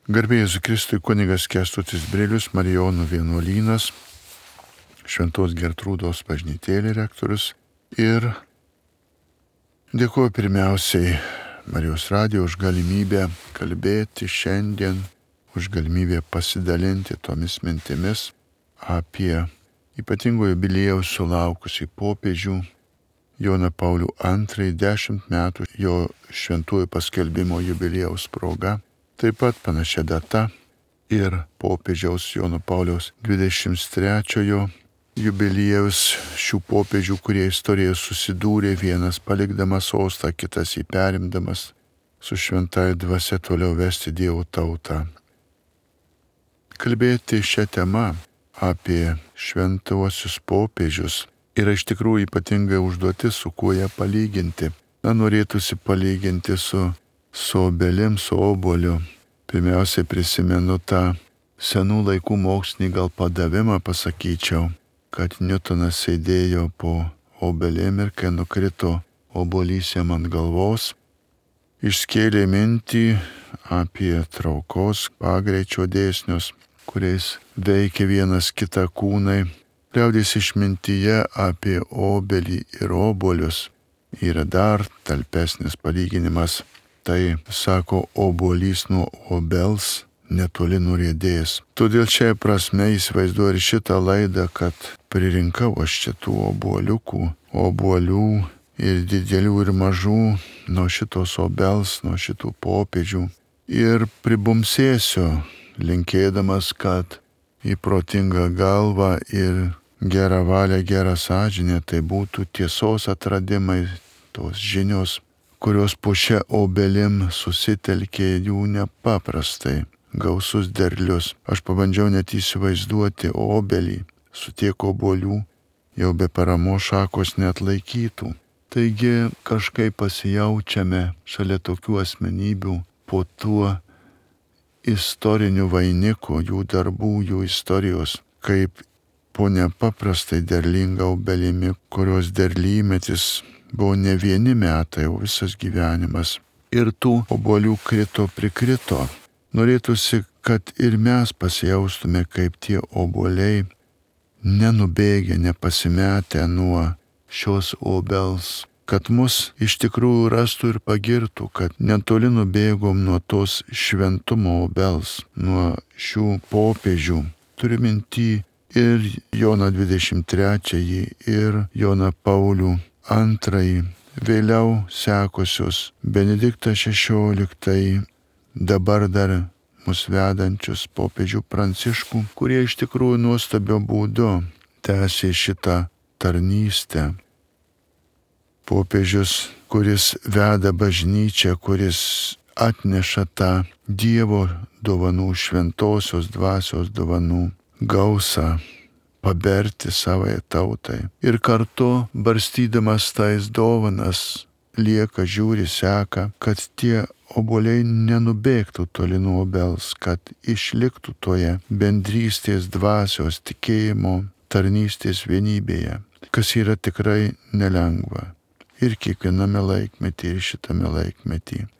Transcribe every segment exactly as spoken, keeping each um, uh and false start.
Garbė Jėzui Kristui, kunigas Kęstutis Brilius, Marijonų vienuolynas, Šventos Gertrūdos bažnytėlė rektorius. Ir dėkuoju pirmiausiai Marijos radijo už galimybę kalbėti šiandien, už galimybę pasidalinti tomis mintimis apie ypatingo jubiliejaus sulaukusį popiežių Joną Paulių antrąjį, dešimt metų jo šventųjų paskelbimo jubiliejaus proga. Taip pat panašia data ir popiežiaus Jono Pauliaus dvidešimt trečiojo jubiliejaus šių popiežių, kurie istorijoje susidūrė, vienas palikdamas sostą, kitas jį perimdamas, su šventąja dvasia toliau vesti Dievo tautą. Kalbėti šią temą apie šventuosius popiežius yra iš tikrųjų ypatinga užduotis, su kuo ją palyginti. Na, norėtųsi palyginti su su obelim, su oboliu. Pirmiausiai prisimenu tą senų laikų mokslinį gal padavimą, pasakyčiau, kad Niutonas sėdėjo po obelim ir kai nukrito obolys jam ant galvos, išskėlė mintį apie traukos pagreičio dėsnius, kuriais veikia vienas kitą kūnai. Liaudies išmintyje apie obelį ir obolius yra dar talpesnis palyginimas. Tai, sako, obuolys nuo obels netoli nuriedės. Todėl šiai prasme įsivaizduoju ir šitą laidą, kad pririnkau aš čia tų obuoliukų, obuolių ir didelių ir mažų nuo šitos obels, nuo šitų popiežių. Ir pribumsėsiu, linkėdamas, kad į protingą galvą ir gerą valią, gerą sąžinę, tai būtų tiesos atradimai, tos žinios, kurios po šią obelim susitelkė jų nepaprastai gausus derlius. Aš pabandžiau net įsivaizduoti obelį su tiek obuolių, jau be paramos šakos neatlaikytų. Taigi kažkaip pasijaučiame šalia tokių asmenybių po tuo istoriniu vainiku, jų darbų, jų istorijos, kaip po nepaprastai derlinga obelimi, kurios derlymetis buvo ne vieni metai, o visas gyvenimas. Ir tų obuolių krito prikrito. Norėtųsi, kad ir mes pasijaustume kaip tie obuoliai, nenubėgę, nepasimetę nuo šios obels, kad mus iš tikrųjų rastų ir pagirtų, kad netoli nubėgom nuo tos šventumo obels, nuo šių popiežių. Turiu minty ir Joną dvidešimt trečiąjį, ir Joną Paulių antrąjį, vėliau sekusius Benediktą šešioliktąjį, dabar dar mus vedančius popiežių Pranciškų, kurie iš tikrųjų nuostabio būdu tęsė šitą tarnystę. Popiežius, kuris veda bažnyčią, kuris atneša tą Dievo dovanų, šventosios dvasios dovanų gausą, paberti savai tautai. Ir kartu, barstydamas tais dovanas, lieka, žiūri, seka, kad tie obuoliai nenubėgtų toli nuo obels, kad išliktų toje bendrystės dvasios, tikėjimo, tarnystės vienybėje, kas yra tikrai nelengva. Ir kiekviename laikmetyje, ir šitame laikmetyje.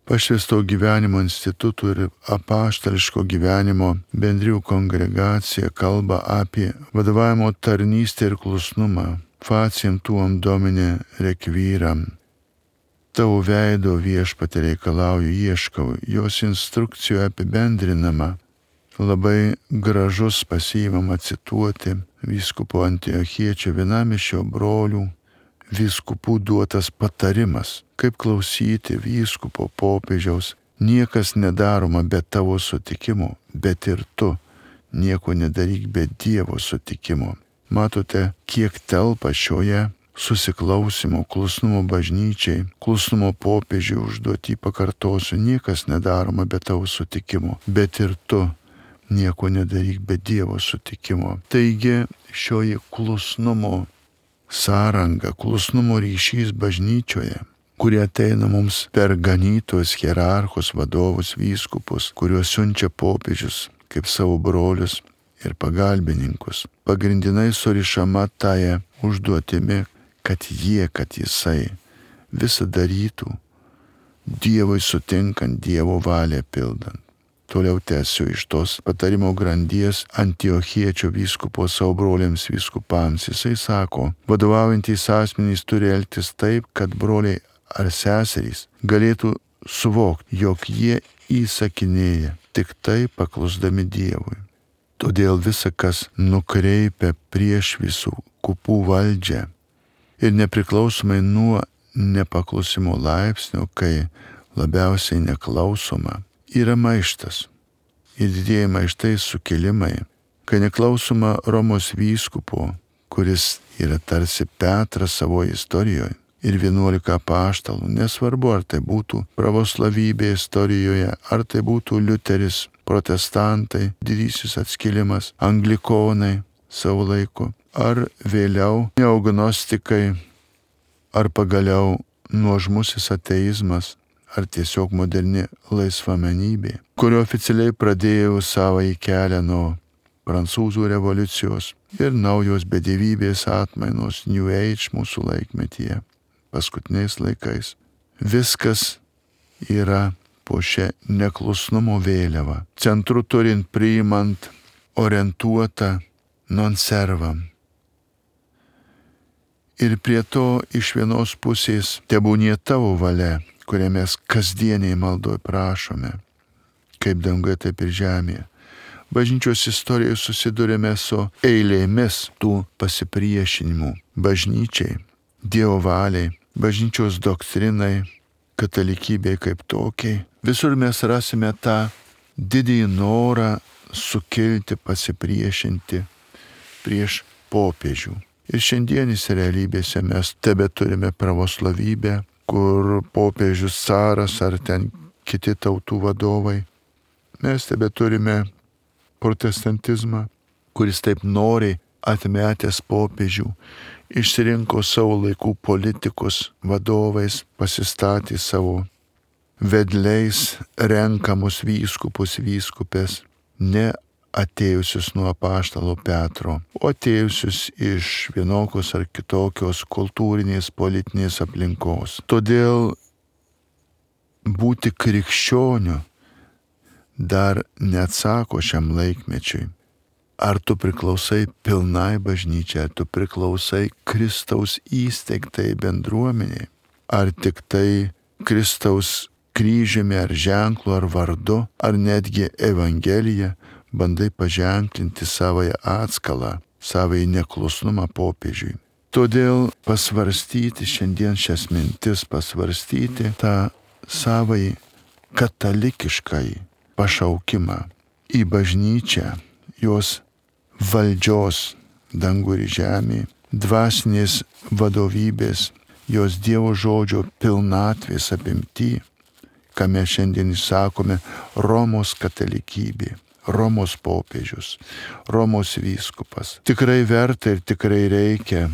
Pašvęsto gyvenimo institutų ir apaštališko gyvenimo bendrijų kongregacija kalba apie vadovavimo tarnystę ir klusnumą. Faciem tuom domine requiram. Tavo veido viešpatie reikalauju, ieškau. Jos instrukcijoje apibendrinama. Labai gražus pasiimama cituoti vyskupo Antiochiečio, vienam iš jo brolių vyskupų duotas patarimas, kaip klausyti vyskupo popiežiaus. Niekas nedaroma be tavo sutikimo, bet ir tu nieko nedaryk be Dievo sutikimo. Matote, kiek telpa šioje susiklausimo, klusnumo bažnyčiai, klusnumo popiežiui užduotį, pakartosiu, niekas nedaroma be tavo sutikimo, bet ir tu nieko nedaryk be Dievo sutikimo. Taigi šioji klusnumo sąranga, klusnumo ryšys bažnyčioje, kurie ateina mums per ganytojus, hierarchus, vadovus, vyskupus, kuriuos siunčia popiežius kaip savo brolius ir pagalbininkus. Pagrindinai surišama taja užduotimi, kad jie, kad jisai visą darytų, Dievui sutinkant, Dievo valią pildant. Toliau tęsiu iš tos patarimo grandies Antiochiečio vyskupo savo broliams vyskupams. Jisai sako, vadovaujantys asmenys turi elgtis taip, kad broliai ar seserys galėtų suvokti, jog jie įsakinėja tik tai paklusdami Dievui. Todėl visa, kas nukreipia prieš visų kupų valdžią ir nepriklausomai nuo nepaklusimo laipsnio, kai labiausiai neklausoma, yra maištas. Ir didieji maištai sukilimai, kai neklausoma Romos vyskupo, kuris yra tarsi Petras savo istorijoje, ir vienuolika apaštalų, nesvarbu ar tai būtų pravoslavybė istorijoje, ar tai būtų Liuteris, protestantai, didysis atskilimas, anglikonai savo laiku, ar vėliau neognostikai, ar pagaliau nuožmusis ateizmas, ar tiesiog moderni laisvamenybė, kurio oficialiai pradėjo savąjį kelią nuo prancūzų revoliucijos ir naujos bedevybės atmainos New Age mūsų laikmetyje, paskutiniais laikais. Viskas yra po šią neklusnumo vėliavą, centru turint priimant orientuotą non servam. Ir prie to iš vienos pusės tebūnie tavo valia, kurią mes kasdieniai maldoj prašome, kaip danguje, taip ir žemėje. Bažnyčios istorijoje susidurėme su eilėmis tų pasipriešinimų bažnyčiai, Dievo valiai, bažnyčios doktrinai, katalikybei kaip tokiai. Visur mes rasime tą didįjį norą sukilti, pasipriešinti prieš popiežių. Ir šiandienėse realybėse mes tebe turime pravoslavybę, kur popiežius caras ar ten kiti tautų vadovai. Mes tebe turime protestantizmą, kuris taip noriai atmetęs popiežių, išsirinko savo laikų politikus vadovais, pasistatė savo vedliais renkamus vyskupus, vyskupės, ne atėjusius nuo apaštalo Petro, o atėjusius iš vienokios ar kitokios kultūrinės, politinės aplinkos. Todėl būti krikščioniu dar neatsako šiam laikmečiui. Ar tu priklausai pilnai bažnyčiai, ar tu priklausai Kristaus įsteigtai bendruomeniai, ar tik tai Kristaus kryžiumi ar ženklu ar vardu, ar netgi Evangelija, bandai paženklinti savąją atskalą, savąjį neklusnumą popiežiui. Todėl pasvarstyti šiandien šias mintis, pasvarstyti tą savąjį katalikiškąjį pašaukimą į bažnyčią, jos valdžios dangų ir žemė, dvasinės vadovybės, jos Dievo žodžio pilnatvės apimty, ką mes šiandien sakome Romos katalikybė, Romos popiežius, Romos vyskupas. Tikrai verta ir tikrai reikia,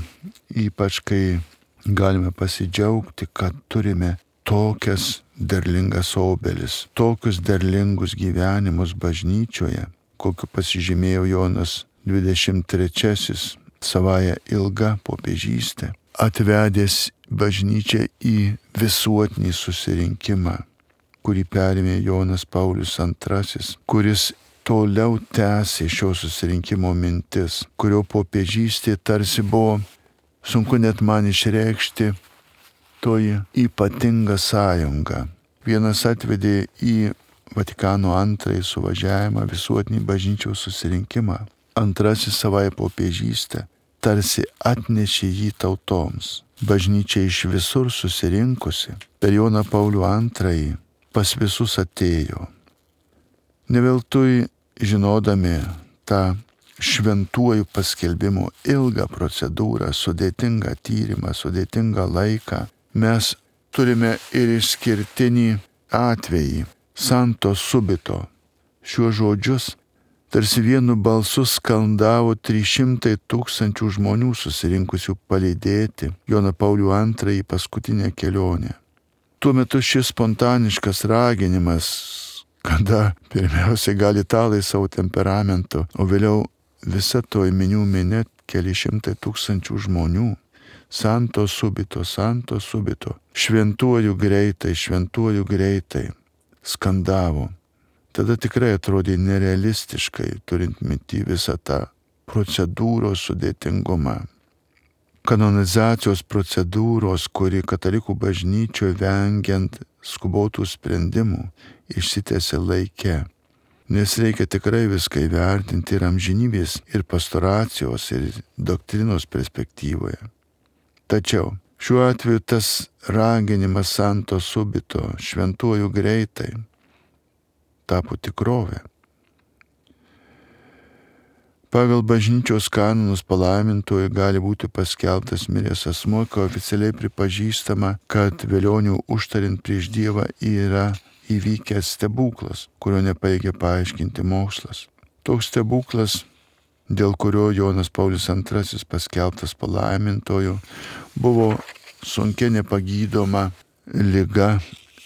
ypač kai galime pasidžiaugti, kad turime tokias derlingas obelis, tokius derlingus gyvenimus bažnyčioje, kokiu pasižymėjo Jonas dvidešimt trečiasis savąją ilgą popiežystę, atvedęs bažnyčią į visuotinį susirinkimą, kurį perėmė Jonas Paulius antrasis, kuris toliau tęsė šio susirinkimo mintis, kurio popiežystė tarsi buvo, sunku net man išreikšti, toji ypatinga sąjunga. Vienas atvedė į Vatikano antrąjį suvažiavimą, visuotinį bažnyčios susirinkimą. Antrasis savąją popiežystę tarsi atnešė jį tautoms. Bažnyčia iš visur susirinkusi per Joną Paulių antrąjį pas visus atėjo. Ne veltui žinodami tą šventuoju paskelbimo ilgą procedūrą, sudėtingą tyrimą, sudėtingą laiką, mes turime ir išskirtinį atvejį, santo subito. Šiuos žodžius tarsi vienu balsu skandavo trys šimtai tūkstančių žmonių susirinkusių palydėti Joną Paulių antrąjį paskutinę kelionę. Tuo metu šis spontaniškas raginimas, kada pirmiausiai gali italai savo temperamentu, o vėliau visa toj minių minė keli šimtai tūkstančių žmonių, santo subito, santo subito, šventuoju greitai, šventuoju greitai, skandavo. Tada tikrai atrodė nerealistiškai, turint minty visą tą procedūros sudėtingumą. Kanonizacijos procedūros, kuri katalikų bažnyčioje vengiant skubotų sprendimų išsitęsė laike, nes reikia tikrai viską įvertinti ir amžinybės, ir pastoracijos, ir doktrinos perspektyvoje. Tačiau šiuo atveju tas raginimas santo subito, šventuoju greitai, tapo tikrovė. Pagal bažnyčios kanonus palaimintoju gali būti paskelbtas miręs asmuo, kai oficialiai pripažįstama, kad vėlionių užtariant prieš Dievą yra įvykęs stebuklas, kurio nepajėgia paaiškinti mokslas. Toks stebuklas, dėl kurio Jonas Paulius antrasis paskelbtas palaimintoju, buvo sunkia nepagydoma liga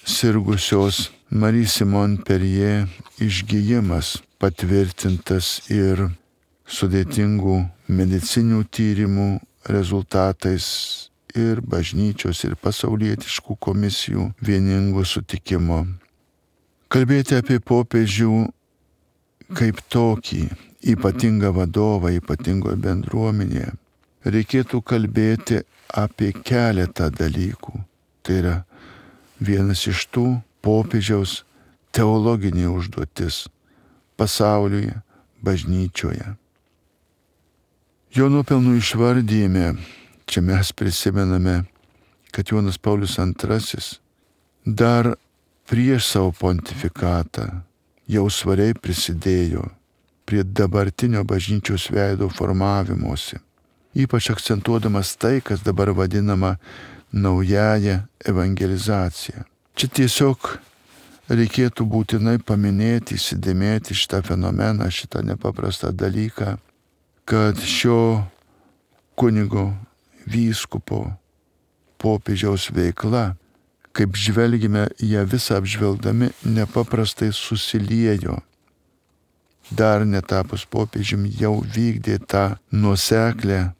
sirgusios Marie Simon Perie išgijimas, patvirtintas ir sudėtingų medicinių tyrimų rezultatais ir bažnyčios ir pasaulietiškų komisijų vieningo sutikimo. Kalbėti apie popiežių kaip tokį ypatingą vadovą ypatingoje bendruomenėje reikėtų kalbėti apie keletą dalykų. Tai yra vienas iš tų popiežiaus teologinė užduotis pasaulyje, bažnyčioje. Jo nuopelnų išvardyjime, čia mes prisimename, kad Jonas Paulius antrasis dar prieš savo pontifikatą jau svariai prisidėjo prie dabartinio bažnyčios veido formavimosi, ypač akcentuodamas tai, kas dabar vadinama naująja evangelizacija. Čia tiesiog reikėtų būtinai paminėti, įsidėmėti šitą fenomeną, šitą nepaprastą dalyką, kad šio kunigo, vyskupo, popiežiaus veikla, kaip žvelgime ją visą apžvelgdami, nepaprastai susiliejo. Dar netapus popiežiumi jau vykdė tą nuoseklę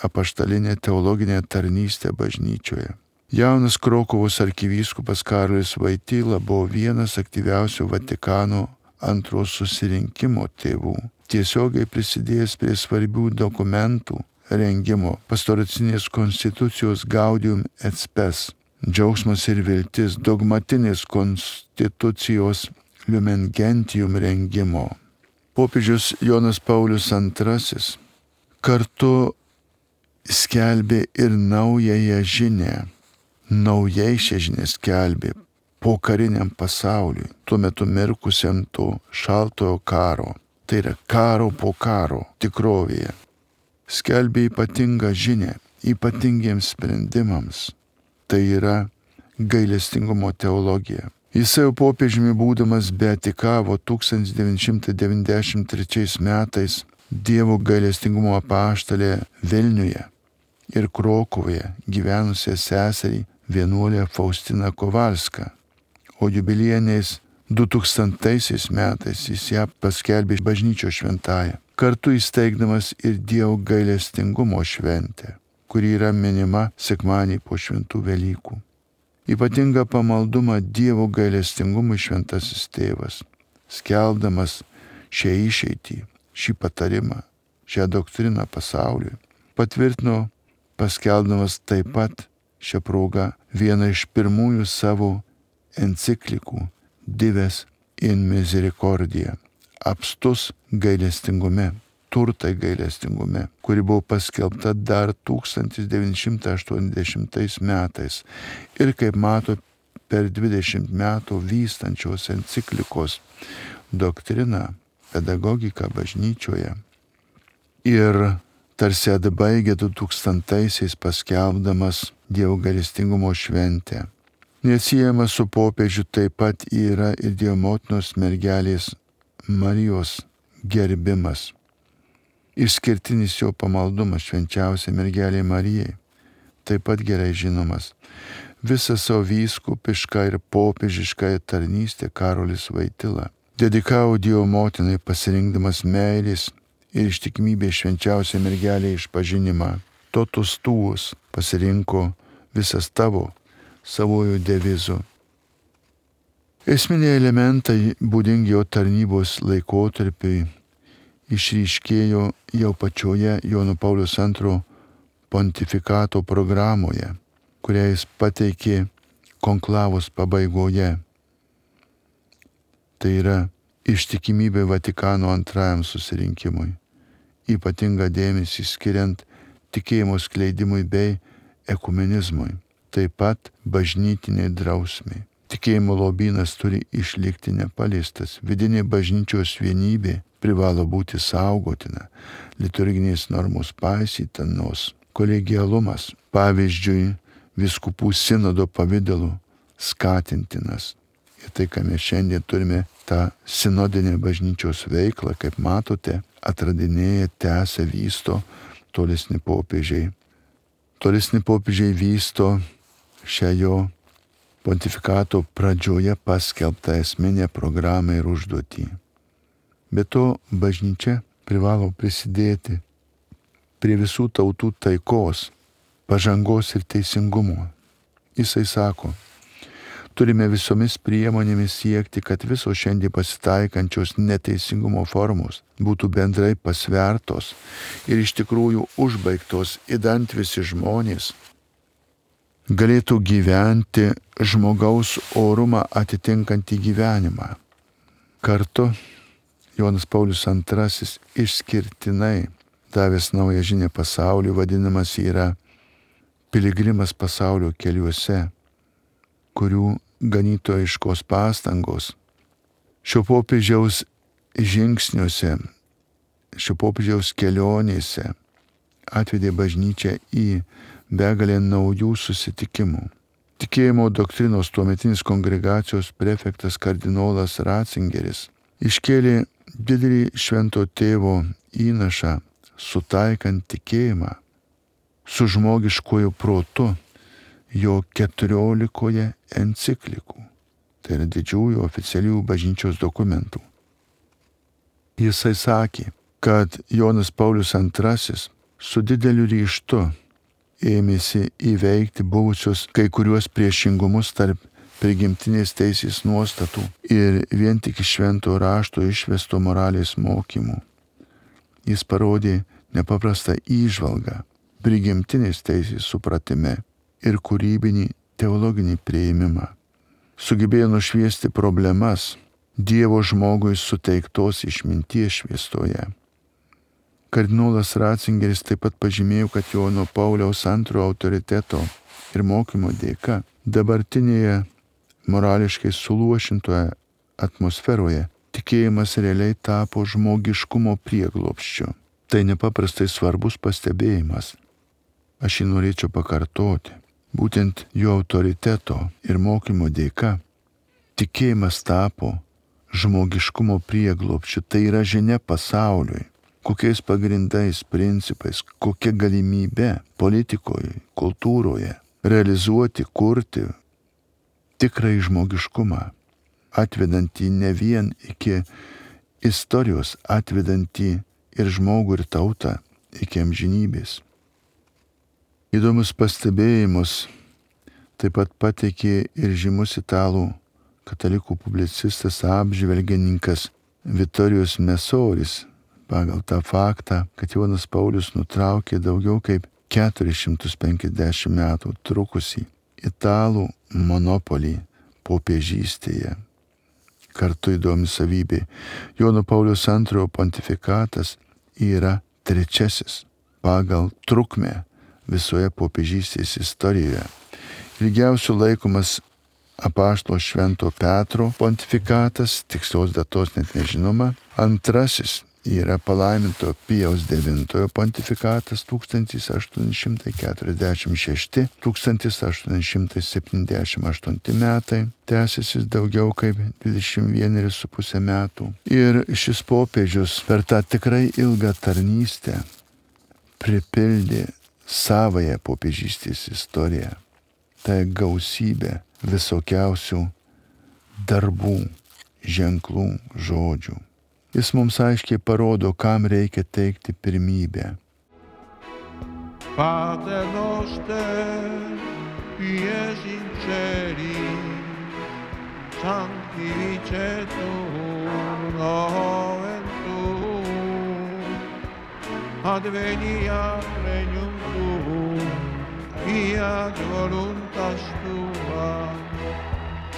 apaštalinę teologinę tarnystę bažnyčioje. Jaunas Krokuvos arkivyskupas Karolis Voityla buvo vienas aktyviausių Vatikano antrojo susirinkimo tėvų, tiesiogiai prisidėjęs prie svarbių dokumentų rengimo, pastoracinės konstitucijos Gaudium et Spes, džiaugsmas ir viltis, dogmatinės konstitucijos Lumen Gentium rengimo. Popiežius Jonas Paulius antrasis kartu skelbė ir naująją žinią, naujai šią žinią skelbė pokariniam pasauliui, tuo metu mirkusiam to šaltojo karo. Tai yra karo po karo tikrovėje. Skelbė ypatingą žinią, ypatingiems sprendimams. Tai yra gailestingumo teologija. Jis jau popiežiumi būdamas beatikavo tūkstantis devyni šimtai devyniasdešimt trečiais metais Dievo gailestingumo apaštalė Vilniuje ir Krokuvoje gyvenusią seserį vienuolę Faustiną Kovalską, o jubiliejiniais du tūkstantaisiais metais jis ją paskelbė bažnyčios šventąja, kartu įsteigdamas ir Dievo gailestingumo šventę, kuri yra minima sekmadienį po šventų Velykų. Ypatingą pamaldumą Dievo gailestingumui šventasis tėvas, skelbdamas šią išeitį, šį patarimą, šią doktriną pasauliui, patvirtino paskelbdamas taip pat šią progą vieną iš pirmųjų savo enciklikų Dives in Misericordia, apstus gailestingume, turtai gailestingume, kuri buvo paskelbta dar tūkstantis devyni šimtai aštuoniasdešimtais metais ir, kaip mato, per dvidešimt metų vystančios enciklikos doktriną, pedagogiką bažnyčioje ir tarsi atbaigė du tūkstantaisiais paskelbdamas Dievo gailestingumo šventę. Neatsiejama su popiežiu taip pat yra ir Dievo motinos mergelės Marijos gerbimas. Išskirtinis jo pamaldumas švenčiausiai mergelei Marijai, taip pat gerai žinomas. Visą savo vyskupišką ir popiežišką tarnystę Karolis Voityla dedikavo Dievo motinai, pasirinkdamas meilės ir ištikimybės švenčiausiai mergelei išpažinimą. totus tuos pasirinko visas tavo savojų devizų. Esminiai elementai būdingi jo tarnybos laikotarpiui išryškėjo jau pačioje Jono Pauliaus antrojo pontifikato programoje, kurią jis pateikė konklavos pabaigoje. Tai yra ištikimybė Vatikano antrajam susirinkimui, ypatingą dėmesį skiriant tikėjimo skleidimui bei ekumenizmui, taip pat bažnytiniai drausmiai. Tikėjimo lobynas turi išlikti nepaliestas, vidinė bažnyčios vienybė privalo būti saugotina, liturginės normos paisytinos, kolegialumas, pavyzdžiui, vyskupų sinodo pavidalu skatintinas. Ir tai, ką mes šiandien turime, tą sinodinę bažnyčios veiklą, kaip matote, atradinėja, tęsia, vysto tolesni popiežiai. Tolesni popiežiai vysto šią jo pontifikato pradžioje paskelbtą esminę programą ir užduotį. Be to, bažnyčia privalo prisidėti prie visų tautų taikos, pažangos ir teisingumo. Jisai sako, turime visomis priemonėmis siekti, kad visos šiandien pasitaikančios neteisingumo formos būtų bendrai pasvertos ir iš tikrųjų užbaigtos, idant visi žmonės galėtų gyventi žmogaus orumą atitinkantį gyvenimą. Kartu Jonas Paulius antrasis išskirtinai davęs naują žinią pasauliu, vadinamas yra piligrimas pasaulio keliuose, kurių ganytojiškos pastangos šio popiežiaus žingsniuose, šio popiežiaus kelionėse atvedė bažnyčią į begalę naujų susitikimų. Tikėjimo doktrinos tuometinis kongregacijos prefektas kardinolas Ratzingeris iškėlė didelį švento tėvo įnašą sutaikant tikėjimą su žmogiškoju protu jo keturiolikoje enciklikų, tai yra didžiųjų oficialių bažnyčios dokumentų. Jisai sakė, kad Jonas Paulius antrasis su dideliu ryžtu ėmėsi įveikti buvusius kai kuriuos priešingumus tarp prigimtinės teisės nuostatų ir vien tik iš švento rašto išvesto moralės mokymų. Jis parodė nepaprastą įžvalgą prigimtinės teisės supratime ir kūrybinį teologinį priėjimimą. Sugebėjo nušviesti problemas Dievo žmogui suteiktos išminties šviesoje. Kardinolas Ratzingeris taip pat pažymėjo, kad Jono Pauliaus antrojo autoriteto ir mokymo dėka dabartinėje morališkai suluošintoje atmosferoje tikėjimas realiai tapo žmogiškumo prieglobsčiu. Tai nepaprastai svarbus pastebėjimas. Aš jį norėčiau pakartoti. Būtent jo autoriteto ir mokymo dėka tikėjimas tapo žmogiškumo prieglobsčiu. Tai yra žinia pasauliui. Kokiais pagrindais, principais, kokia galimybė politikoje, kultūroje realizuoti, kurti tikrai žmogiškumą, atvedantį ne vien iki istorijos, atvedantį ir žmogų ir tautą iki amžinybės. Įdomus pastebėjimus taip pat pateikė ir žymus italų katalikų publicistas apžvelgininkas Vittorijus Mesoris, pagal tą faktą, kad Jonas Paulius nutraukė daugiau kaip keturis šimtus penkiasdešimt metų trukusį italų monopolį popiežystėje. Kartu įdomi savybė, Jono Pauliaus antrojo pontifikatas yra trečiasis pagal trukmę visoje popiežystės istorijoje. Ilgiausiu laikomas apaštalo Švento Petro pontifikatas, tikslios datos net nežinoma. Antrasis yra palaiminto Pijaus devintojo pontifikatas tūkstantis aštuoni šimtai keturiasdešimt šešti - tūkstantis aštuoni šimtai septyniasdešimt aštunti metai, tęsiasi daugiau kaip dvidešimt vieneri su pusė metų. Ir šis popiežius per tą tikrai ilgą tarnystę pripildė savąją popiežystės istoriją. Tai gausybė visokiausių darbų, ženklų, žodžių. Jis mums aiškiai parodo, kam reikia teikti pirmybę. Pater noster, qui es in celis, sanctificetur nomen tuum, adveniat regnum tuum, fiat voluntas tua,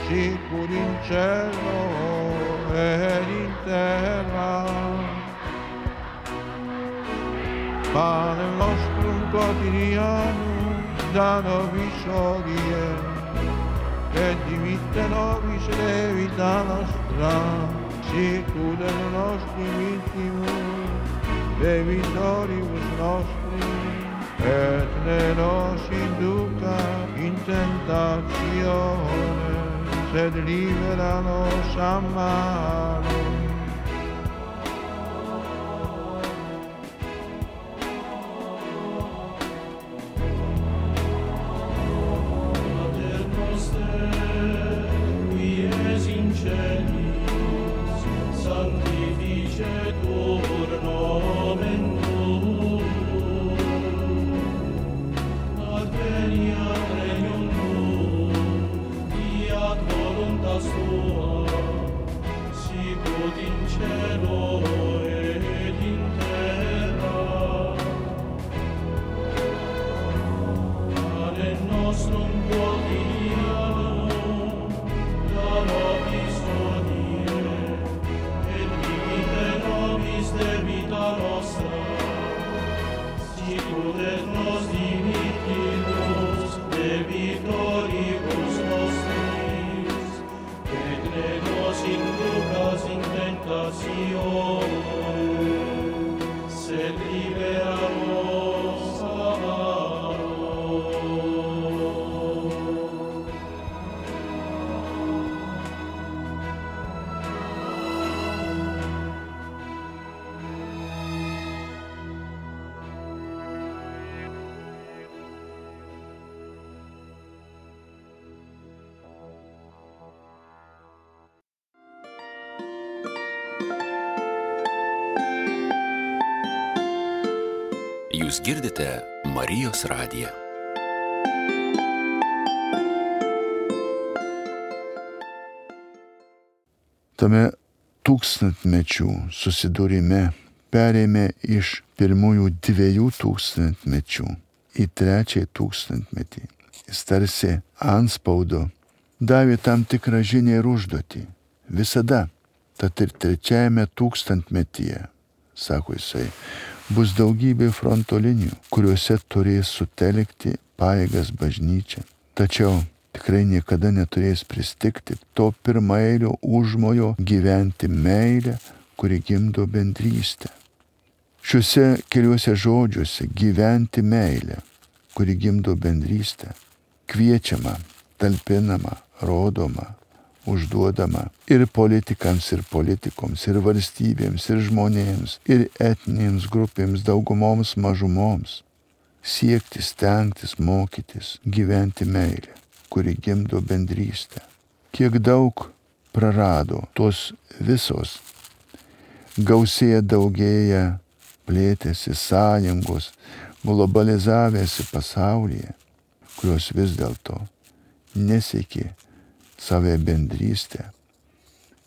sicur in cielo et in terra. Pane nostrum quotidianum da nobis hodie, et dimitte nobis debita nostra, sicur et nostri vittimus debitoribus nostris, et ne nos induca in tentatione, sed libera nos a malo. Jūs girdite Marijos radiją. Tame tūkstantmečių susidūrime perėmė iš pirmųjų dviejų tūkstantmečių į trečiąjį tūkstantmetį. Jis tarsi antspaudo davė tam tikrą žinią ir užduotį. Visada, tad ir trečiajame tūkstantmetyje, sako jisai, bus daugybė fronto linijų, kuriuose turės sutelkti pajėgas bažnyčia. Tačiau tikrai niekada neturės pristigti to pirmaeilio užmojo gyventi meilę, kuri gimdo bendrystę. Šiuose keliuose žodžiuose gyventi meilę, kuri gimdo bendrystę, kviečiama, talpinama, rodoma, užduodama ir politikams, ir politikoms, ir valstybėms, ir žmonėms, ir etninėms grupėms, daugumoms, mažumoms. Siekti, stengtis, mokytis, gyventi meilę, kuri gimdo bendrystę. Kiek daug prarado tos visos, gausėja, daugėja, plėtėsi sąjungos, globalizavėsi pasaulyje, kurios vis dėlto nesiekė save bendrystę,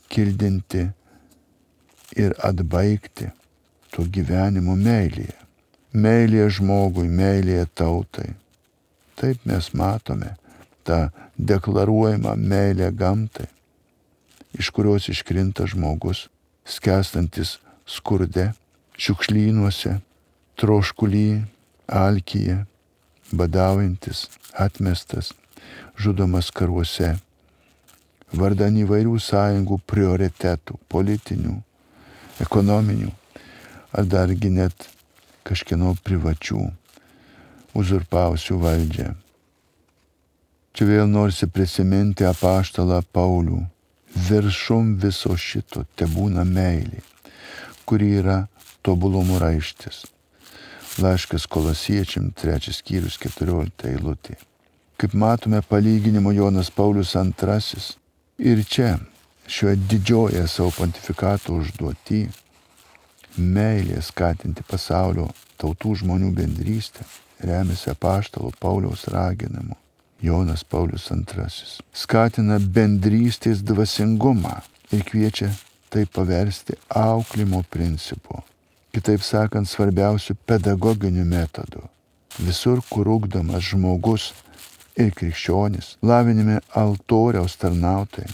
kildinti ir atbaigti to gyvenimo meilėje. Meilėje žmogui, meilėje tautai. Taip mes matome tą deklaruojamą meilę gamtai, iš kurios iškrinta žmogus, skęstantis skurde, šiukšlynuose, troškuly, alkyje, badaujantis, atmestas, žudomas karuose, vardan įvairių sąjungų prioritetų, politinių, ekonominių, ar dargi net kažkieno privačių, uzurpavusių valdžią. Čia vėl norisi prisiminti apaštalą Paulių. Viršum viso šito tebūna meilė, kuri yra tobulumo raištis. Laiškas Kolosiečiam, trečias skyrius, keturiolikta eilutė. Kaip matome palyginimo Jonas Paulius antrasis. Ir čia, šioje didžioje savo pontifikato užduotį, meilė skatinti pasaulio tautų žmonių bendrystę, remiasi apaštalo Pauliaus raginimu. Jonas Paulius antrasis skatina bendrystės dvasingumą ir kviečia tai paversti auklimo principu. Kitaip sakant, svarbiausių pedagoginių metodų. Visur, kur ugdomas žmogus ir krikščionis, lavinimi altoriaus tarnautojai,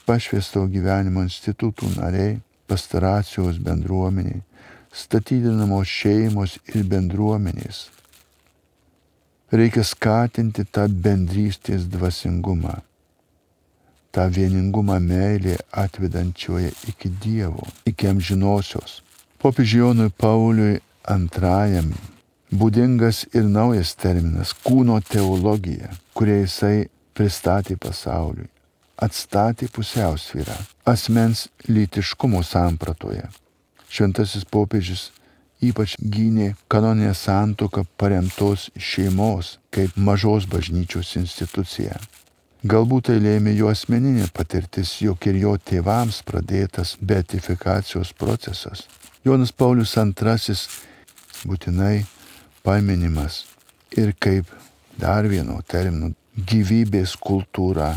pašvęsto gyvenimo institutų nariai, pastoracijos bendruomeniai, statydinamos šeimos ir bendruomenės. Reikia skatinti tą bendrystės dvasingumą, tą vieningumą meilė atvedančioje iki Dievo, iki amžinosios. Popiežiui Jonui Pauliui antrajam būdingas ir naujas terminas – kūno teologija, kurią jisai pristatė pasauliui, atstatė pusiausvyrą asmens lytiškumo sampratoje. Šventasis popiežius ypač gynė kanoninę santuoką paremtos šeimos kaip mažos bažnyčios instituciją. Galbūt tai lėmė jo asmeninė patirtis, jog ir jo tėvams pradėtas beatifikacijos procesas. Jonas Paulius antrasis būtinai paminimas ir kaip dar vieno termino gyvybės kultūra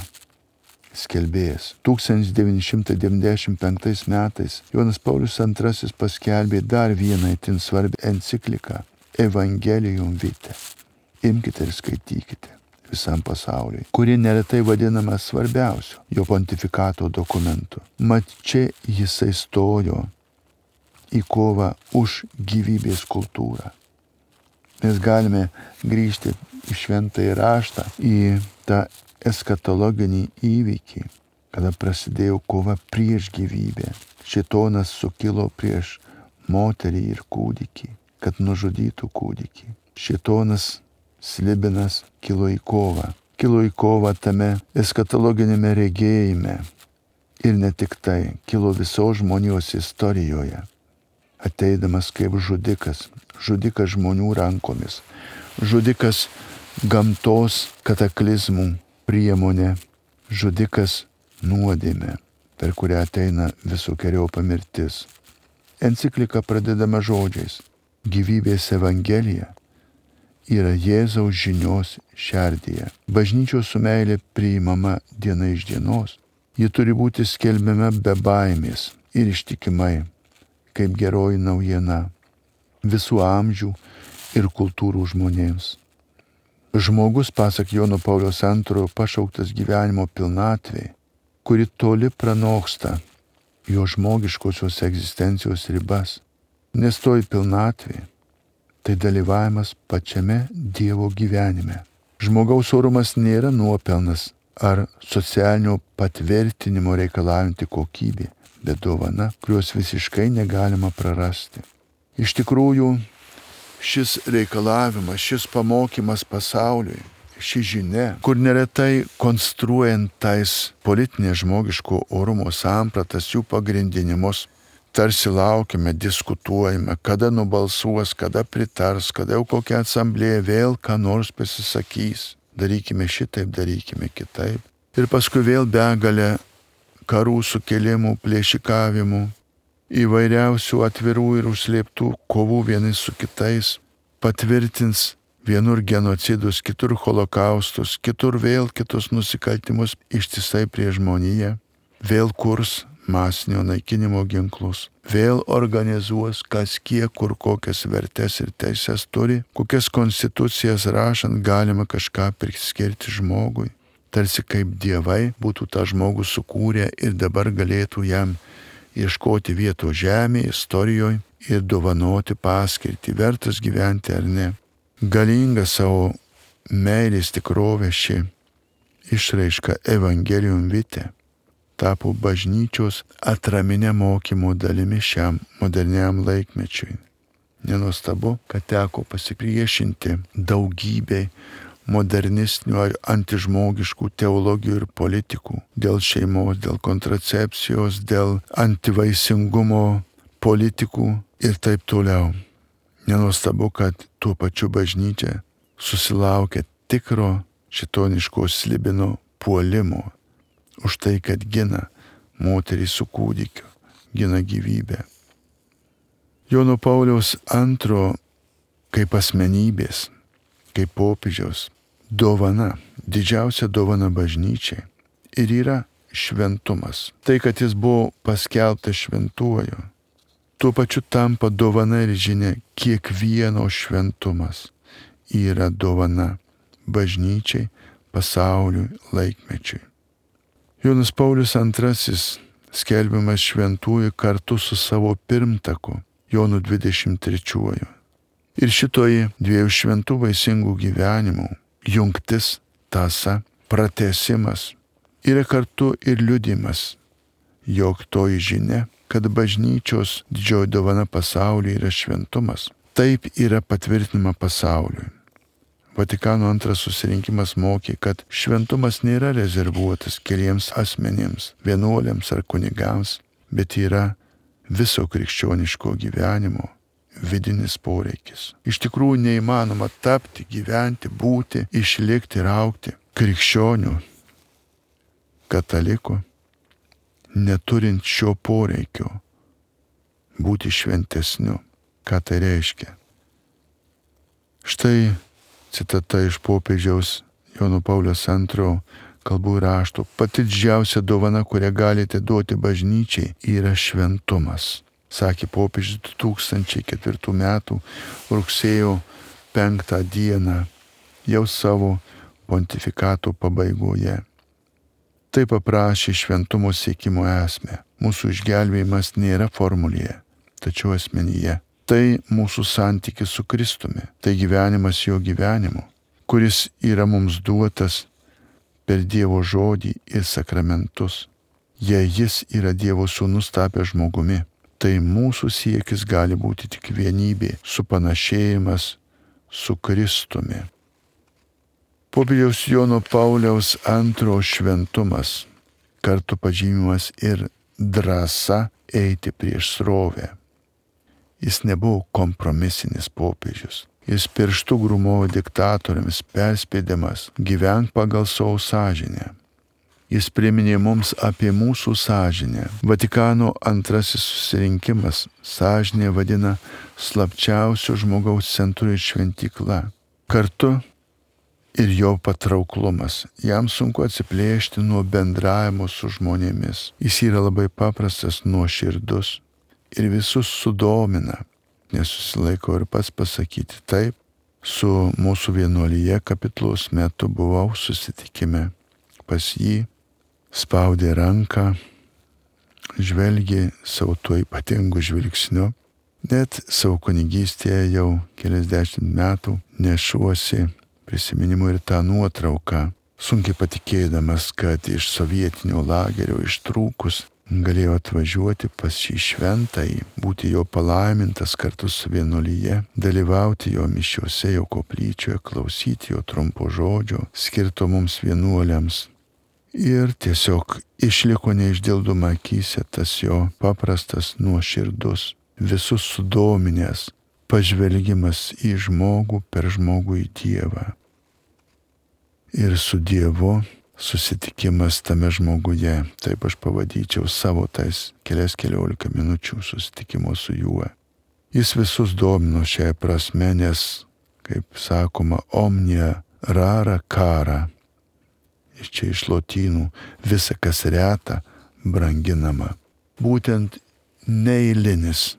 skelbėjas. tūkstantis devyni šimtai devyniasdešimt penktais metais Jonas Paulius antrasis paskelbė dar vieną itin svarbią encikliką Evangelium Vitae. Imkite ir skaitykite visam pasauliui, kuri neretai vadinama svarbiausiu jo pontifikato dokumentu. Mat čia jisai stojo į kovą už gyvybės kultūrą. Mes galime grįžti į šventąjį raštą, į tą eskatologinį įvykį, kada prasidėjo kova prieš gyvybę. Šėtonas sukilo prieš moterį ir kūdikį, kad nužudytų kūdikį. Šėtonas slibinas kilo į kovą. Kilo į kovą tame eskatologinėme regėjime. Ir ne tik tai, kilo visos žmonijos istorijoje. Ateidamas kaip žudikas, žudikas žmonių rankomis, žudikas gamtos kataklizmų priemonė, žudikas nuodėmė, per kurią ateina visokeriaupa mirtis. Enciklika pradedama žodžiais: gyvybės evangelija yra Jėzaus žinios šerdyje. Bažnyčios su meilė priimama diena iš dienos. Ji turi būti skelbiama be baimės ir ištikimai, kaip geroji naujiena visų amžių ir kultūrų žmonėms. Žmogus, pasak Jono Pauliaus antrojo, pašauktas gyvenimo pilnatvei, kuri toli pranoksta jo žmogiškosios egzistencijos ribas. Nes toji pilnatvė tai dalyvavimas pačiame Dievo gyvenime. Žmogaus orumas nėra nuopelnas ar socialinio patvirtinimo reikalaujanti kokybė, bet dovana, kurios visiškai negalima prarasti. Iš tikrųjų, šis reikalavimas, šis pamokymas pasauliui, ši žinia, kur neretai konstruojant tais politinės žmogiško orumo sampratas, jų pagrindinimus, tarsi laukime, diskutuojame, kada nubalsuos, kada pritars, kada jau kokia asamblėja vėl ką nors pasisakys. Darykime šitaip, darykime kitaip. Ir paskui vėl begalė karų, sukilimų, plėšikavimų, įvairiausių atvirų ir užslėptų kovų vieni su kitais, patvirtins vienur genocidus, kitur holokaustus, kitur vėl kitus nusikaltimus ištisai prieš žmoniją, vėl kurs masinio naikinimo ginklus, vėl organizuos kas kiek kur kokias vertes ir teises turi, kokias konstitucijas rašant galima kažką priskirti žmogui, tarsi kaip dievai būtų tą žmogų sukūrę ir dabar galėtų jam ieškoti vietos žemėje, istorijoje ir dovanoti paskirtį, vertas gyventi ar ne. Galinga savo meilės tikrovė ši išraiška Evangelium Vitae tapo bažnyčios atraminė mokymo dalimi šiam moderniam laikmečiui. Nenuostabu, kad teko pasipriešinti daugybei modernistinių ar antižmogiškų teologijų ir politikų dėl šeimos, dėl kontracepcijos, dėl antivaisingumo politikų ir taip toliau. Nenuostabu, kad tuo pačiu bažnyčia susilaukia tikro šitoniško slibino puolimo už tai, kad gina moterį su kūdikiu, gina gyvybę. Jono Pauliaus antro kaip asmenybės, kaip popiežiaus dovana, didžiausia dovana bažnyčiai ir yra šventumas. Tai, kad jis buvo paskelbtas šventuoju, tuo pačiu tampa dovana ir žinia, kiekvieno šventumas yra dovana bažnyčiai, pasauliui, laikmečiui. Jonas Paulius antrasis skelbiamas šventųjų kartu su savo pirmtaku Jonu dvidešimt trečiuoju. Ir šitoji dviejų šventų vaisingų gyvenimų jungtis, tąsa, pratęsimas yra kartu ir liudimas, jog toji žinia, kad bažnyčios didžioji dovana pasauliui yra šventumas, taip yra patvirtinama pasauliui. Vatikano antras susirinkimas mokė, kad šventumas nėra rezervuotas keliems asmenims, vienuoliams ar kunigams, bet yra viso krikščioniško gyvenimo vidinis poreikis. Iš tikrųjų neįmanoma tapti, gyventi, būti, išlikti ir augti krikščionių, katalikų, neturint šio poreikio būti šventesniu. Ką tai reiškia? Štai citata iš popiežiaus Jono Pauliaus antrojo kalbų rašto. Pati didžiausia dovana, kurią galite duoti bažnyčiai, yra šventumas, sakė popiežius du tūkstančiai ketvirtų metų rugsėjo penktą dieną jau savo pontifikato pabaigoje. Tai paprašė šventumo siekimo esmę. Mūsų išgelbėjimas nėra formulėje, tačiau asmenyje. Tai mūsų santykis su Kristumi, tai gyvenimas jo gyvenimu, kuris yra mums duotas per Dievo žodį ir sakramentus. Jei jis yra Dievo sūnus tapęs žmogumi, tai mūsų siekis gali būti tik vienybė, supanašėjimas su Kristumi. Popiežiaus Jono Pauliaus antrojo šventumas, kartu pažymimas ir drąsa eiti prieš srovę. Jis nebuvo kompromisinis popiežius. Jis pirštų grūmojo diktatoriams, perspėdamas, gyvenk pagal savo sąžinę. Jis priminė mums apie mūsų sąžinę. Vatikano antrasis susirinkimas sąžinę vadina slapčiausio žmogaus centru ir šventykla. Kartu ir jo patrauklumas. Jam sunku atsiplėšti nuo bendravimo su žmonėmis. Jis yra labai paprastas, nuoširdus ir visus sudomina. Nesusilaiko ir pats pasakyti taip. Su mūsų vienuolyje kapitlos metu buvau susitikime pas jį, spaudė ranką, žvelgė savo tuo ypatingu žvilgsniu. Net savo kunigystėje jau keliasdešimt metų nešuosi prisiminimų ir tą nuotrauką, sunkiai patikėdamas, kad iš sovietinio lagerio ištrūkus galėjo atvažiuoti pas šį šventąjį, būti jo palaimintas kartu su vienuolyje, dalyvauti jo mišiuose, jo koplyčioje, klausyti jo trumpo žodžio, skirto mums vienuoliams. Ir tiesiog išliko neišdildoma akyse tas jo paprastas, nuoširdus, visus sudominęs pažvelgimas į žmogų per žmogų į Dievą. Ir su Dievu susitikimas tame žmoguje, taip aš pavadinčiau savo tais kelias keliolika minučių susitikimo su juo. Jis visus domino šiai prasme, nes, kaip sakoma, omnia rara cara. Iš čia iš lotynų visa, kas reta, branginama. Būtent neeilinis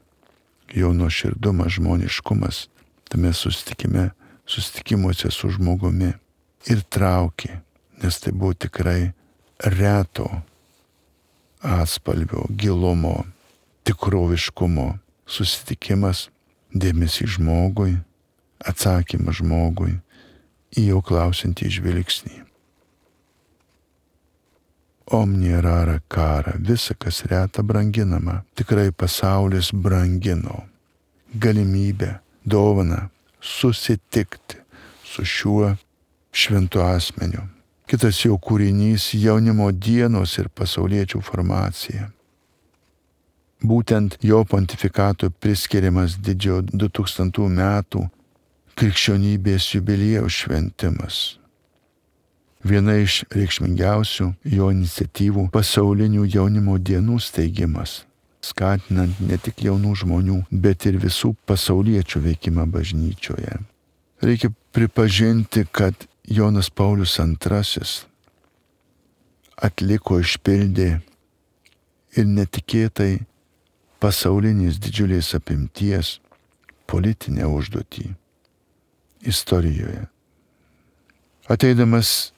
jo nuoširdumas, žmoniškumas tame susitikime, susitikimuose su žmogumi ir traukė. Nes tai buvo tikrai reto atspalvio, gilumo, tikroviškumo susitikimas, dėmesys žmogui, atsakymas žmogui į jo klausantį žvilgsnį. Omnia rara cara, visa, kas reta, branginama. Tikrai pasaulis brangino galimybę, dovaną susitikti su šiuo šventu asmeniu. Kitas jo kūrinys - jaunimo dienos ir pasauliečių formacija. Būtent jo pontifikato priskiriamas didžiojo du tūkstantų metų krikščionybės jubiliejaus šventimas. Viena iš reikšmingiausių jo iniciatyvų - pasaulinių jaunimo dienų steigimas. skatinant ne tik jaunų žmonių, bet ir visų pasauliečių veikimą bažnyčioje. Reikia pripažinti, kad Jonas Paulius antrasis atliko, išpildė ir netikėtai pasaulinės didžiulės apimties politinę užduotį istorijoje. Ateidamas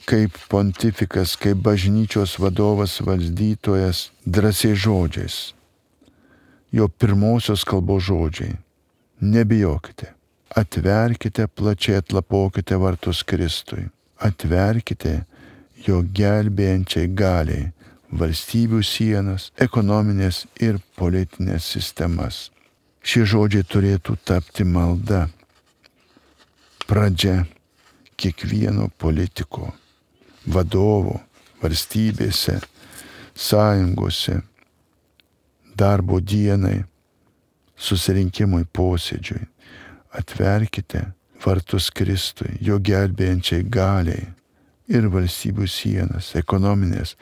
kaip pontifikas, kaip bažnyčios vadovas, valdytojas, drąsiais žodžiais, jo pirmosios kalbos žodžiai: nebijokite, atverkite plačiai, atlapokite vartus Kristui, atverkite jo gelbėjančiai galiai valstybių sienas, ekonominės ir politinės sistemas. Šie žodžiai turėtų tapti malda, pradžia kiekvieno politiko, vadovo, valstybėse, sąjungose, darbo dienai, susirinkimui, posėdžiui. Atverkite vartus Kristui, jo gelbėjančiai galiai ir valstybių sienas, ekonominės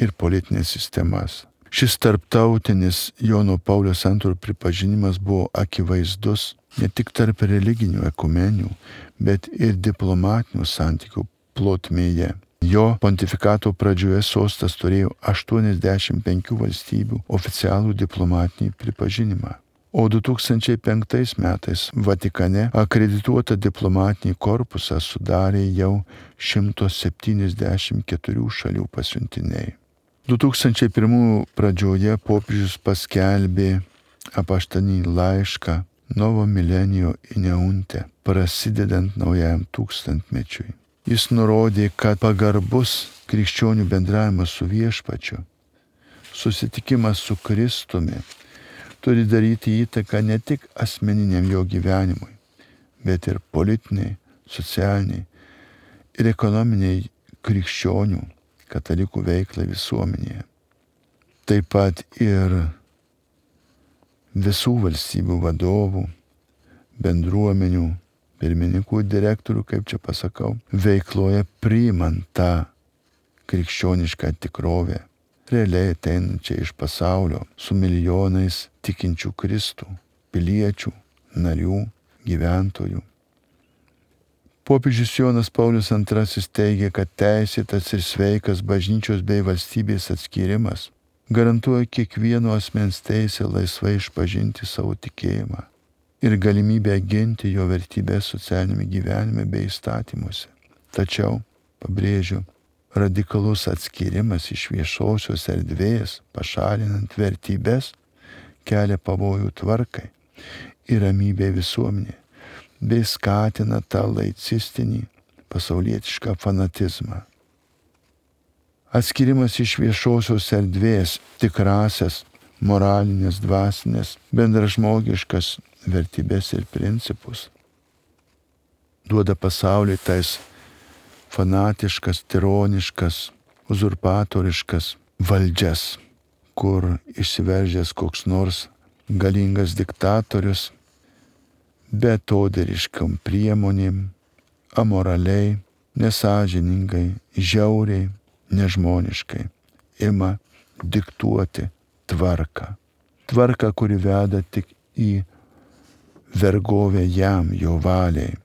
ir politinės sistemas. Šis tarptautinis Jono Pauliaus antrojo pripažinimas buvo akivaizdus ne tik tarp religinių ekumenių, bet ir diplomatinių santykių plotmėje. Jo pontifikato pradžioje sostas turėjo aštuoniasdešimt penkių valstybių oficialų diplomatinį pripažinimą. O du tūkstančiai penktais metais Vatikane akredituotą diplomatinį korpusą sudarė jau šimtas septyniasdešimt keturių šalių pasiuntiniai. du tūkstančiai pirmųjų pradžioje popiežius paskelbė apaštalinį laišką Novo Millenio Ineunte, prasidedant naujajam tūkstantmečiui. Jis nurodė, kad pagarbus krikščionių bendravimas su Viešpačiu, susitikimas su Kristumi, turi daryti įtaką ne tik asmeniniam jo gyvenimui, bet ir politiniai, socialiniai ir ekonominiai krikščionių, katalikų veiklai visuomenėje. Taip pat ir visų valstybių vadovų, bendruomenių, pirmininkų, direktorių, kaip čia pasakau, veikloje priimant tą krikščionišką tikrovę, realiai ateinančią iš pasaulio su milijonais tikinčių Kristų, piliečių, narių, gyventojų. Popiežius Jonas Paulius antrasis teigia, kad teisėtas ir sveikas bažnyčios bei valstybės atskyrimas garantuoja kiekvieno asmens teisę laisvai išpažinti savo tikėjimą ir galimybę ginti jo vertybės socialinėme gyvenime bei įstatymuose. Tačiau, pabrėžiu, radikalus atskyrimas iš viešosios erdvės, pašalinant vertybės, kelia pavojų tvarkai ir ramybė visuomenė, bei skatina tą laicistinį pasaulietišką fanatizmą. Atskirimas iš viešosios erdvės tikrasias, moralinės, dvasinės, bendražmogiškas vertybės ir principus duoda pasauliui tais fanatiškas, tironiškas, uzurpatoriškas valdžias, kur išsiveržęs koks nors galingas diktatorius betodariškam priemonėm, amoraliai, nesąžiningai, žiauriai, nežmoniškai ima diktuoti tvarką. Tvarką, kuri veda tik į vergovę jam, jo valiai,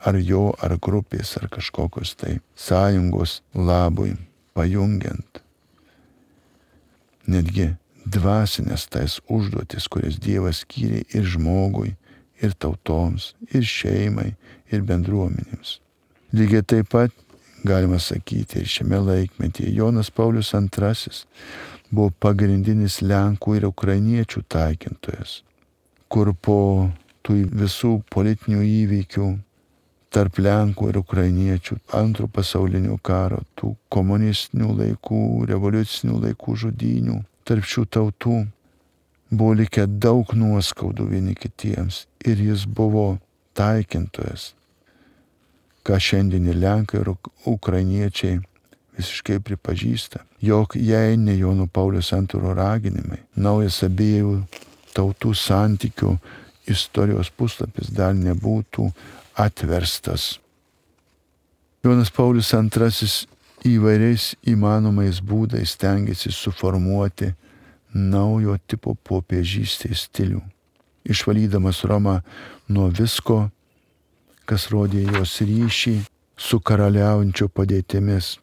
ar jo, ar grupės, ar kažkokios tai sąjungos labui, pajungiant netgi dvasinės tais užduotis, kurias Dievas skyrė ir žmogui, ir tautoms, ir šeimai, ir bendruomenėms. Lygiai taip pat galima sakyti, ir šiame laikmetyje Jonas Paulius antrasis buvo pagrindinis Lenkų ir ukrainiečių taikintojas, kur po tų visų politinių įvykių tarp Lenkų ir ukrainiečių, antro pasaulinio karo, tų komunistinių laikų, revoliucinių laikų žudynių, tarp šių tautų buvo likę daug nuoskaudų vieni kitiems ir jis buvo taikintojas, ką šiandien ir Lenkai ir ukrainiečiai visiškai pripažįsta, jog jei ne Jono Pauliaus antrojo raginimai, naujas abiejų tautų santykių istorijos puslapis dar nebūtų atverstas. Jonas Paulius antrasis įvairiais įmanomais būdais stengiasi suformuoti naujo tipo popiežystės stilių, išvalydamas Romą nuo visko, kas rodė jos ryšį su karaliaujančio padėtimis.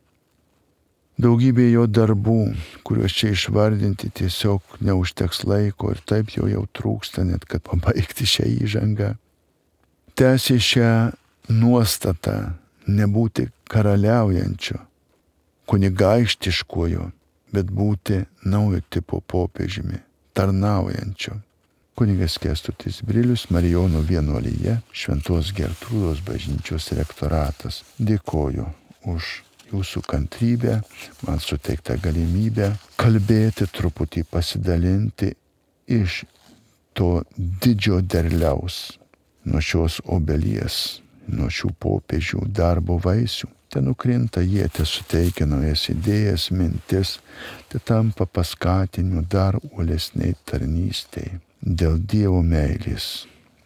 Daugybė jo darbų, kuriuos čia išvardinti, tiesiog neužteks laiko ir taip jo jau trūksta net, kad pabaigti šią įžangą. Tęsė šią nuostatą nebūti karaliaujančio, kunigaikštiškojo, bet būti naujo tipo popiežiumi, tarnaujančio. Kunigas Kęstutis Brilius, Marijonų vienuolyje, Šventos Gertrūdos bažnyčios rektoratas. Dėkoju už jūsų kantrybę, man suteiktą galimybę kalbėti, truputį pasidalinti iš to didžio derliaus, nuo šios obelies, nuo šių popiežių darbo vaisių. Te nukrinta jie, te suteikia naujas idėjas, mintis, te tampa paskatiniu dar uolesniai tarnystei dėl Dievo meilės.